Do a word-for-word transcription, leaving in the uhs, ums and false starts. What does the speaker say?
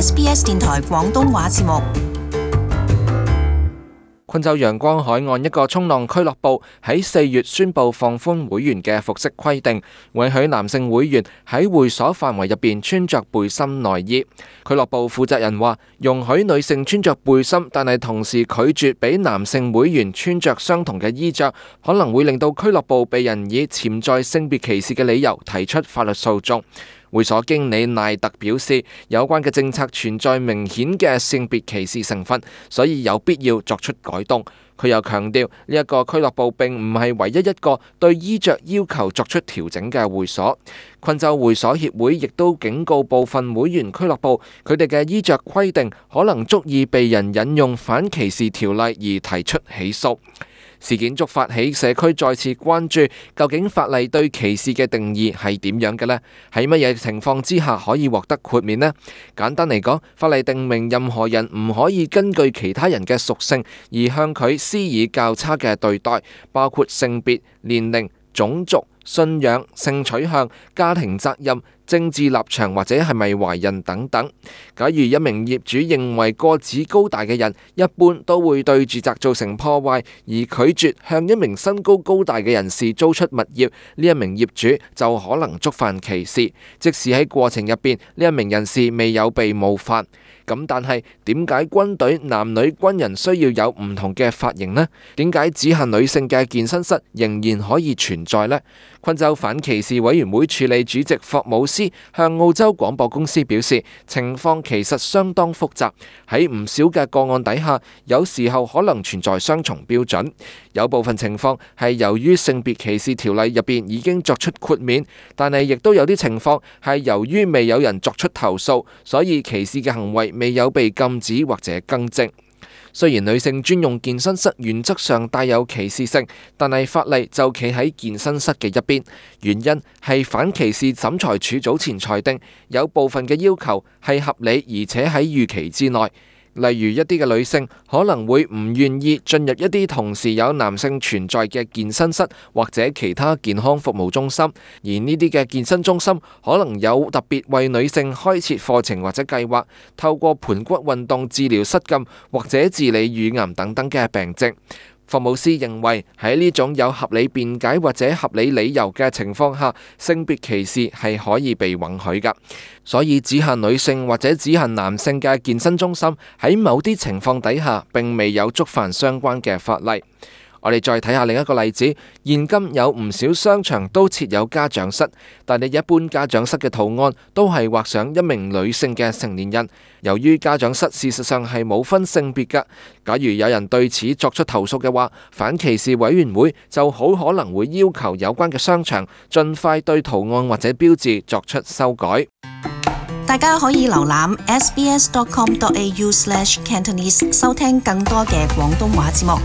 S B S 電台廣東話節目。昆州陽光海岸一個衝浪俱樂部喺四月宣布放寬會員嘅服飾規定，允許男性會員喺會所範圍入邊穿着背心內衣。俱樂部負責人話，容許女性穿着背心，但係同時拒絕俾男性會員穿着相同嘅衣着，可能會令到俱樂部被人以潛在性別歧視嘅理由提出法律訴訟。會所經理賴特表示，有關嘅政策存在明顯嘅性別歧視成分，所以有必要作出改動。佢又強調，呢一個俱樂部並唔係唯一一個對衣着要求作出調整嘅會所。昆州會所協會亦都警告部分會員俱樂部，佢哋嘅衣着規定可能足以被人引用反歧視條例而提出起訴。事件觸發起社區再次關注，究竟法例對歧視嘅定義係點樣嘅呢？喺乜嘢情況之下可以獲得豁免呢？簡單嚟講，法例定明任何人唔可以根據其他人嘅屬性而向佢施以較差嘅對待，包括性別、年齡、種族、信仰、性取向、家庭責任、政治立場或者係咪懷孕等等。假如一名業主認為個子高大嘅人一般都會對住宅造成破壞，而拒絕向一名身高高大嘅人士租出物業，呢一名業主就可能觸犯歧視，即使喺過程入邊呢一名人士未有被冒犯。咁但係點解軍隊男女軍人需要有唔同嘅髮型呢？點解只限女性嘅健身室仍然可以存在呢？昆州反歧視委員會處理主席霍姆斯向澳洲廣播公司表示，情況其實相當複雜，喺唔少嘅個案底下，有時候可能存在雙重標準。有部分情況係由於性別歧視條例入邊已經作出豁免，但係亦都有啲情況係由於未有人作出投訴，所以歧視嘅行為未有被禁止或者更正。雖然女性專用健身室原則上帶有歧視性，但係法例就企喺健身室嘅一邊。原因係反歧視審裁處早前裁定，有部分嘅要求係合理而且喺預期之內。例如一啲嘅女性可能會唔願意進入一啲同時有男性存在嘅健身室或者其他健康服務中心，而呢啲嘅健身中心可能有特別為女性開設課程或者計劃，透過盤骨運動治療失禁或者治理乳癌等等嘅病症。霍姆斯認為喺呢種有合理辯解或者合理理由嘅情況下，性別歧視係可以被允許㗎。所以只限女性或者只限男性嘅健身中心喺某啲情況底下並未有觸犯相關嘅法例。我哋再睇下另一個例子，現今有唔少商場都設有家長室，但係一般家長室嘅圖案都係畫上一名女性嘅成年人。由於家長室事實上係冇分性別㗎，假如有人對此作出投訴嘅話，反歧視委員會就好可能會要求有關嘅商場盡快對圖案或者標誌作出修改。大家可以瀏覽 s b s dot com dot a u slash cantonese 收聽更多嘅廣東話節目。